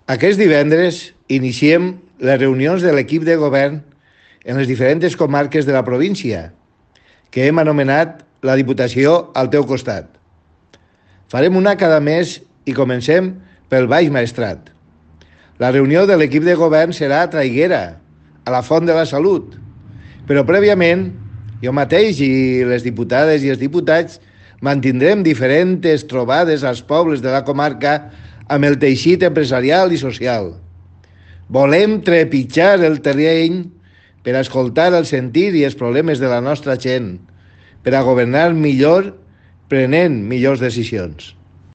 Aquest divendres iniciem les reunions de l'equip de govern en les diferents comarques de la província, que hem anomenat la Diputació al teu costat. Farem una cada mes i comencem pel Baix Maestrat. La reunió de l'equip de govern serà a Traiguera, a la Font de la Salut, però prèviament jo mateix i les diputades i els diputats mantindrem diferents trobades als pobles de la comarca amb el teixit empresarial i social. Volem trepitjar el terreny per a escoltar el sentir i els problemes de la nostra gent, per a governar millor, prenent millors decisions.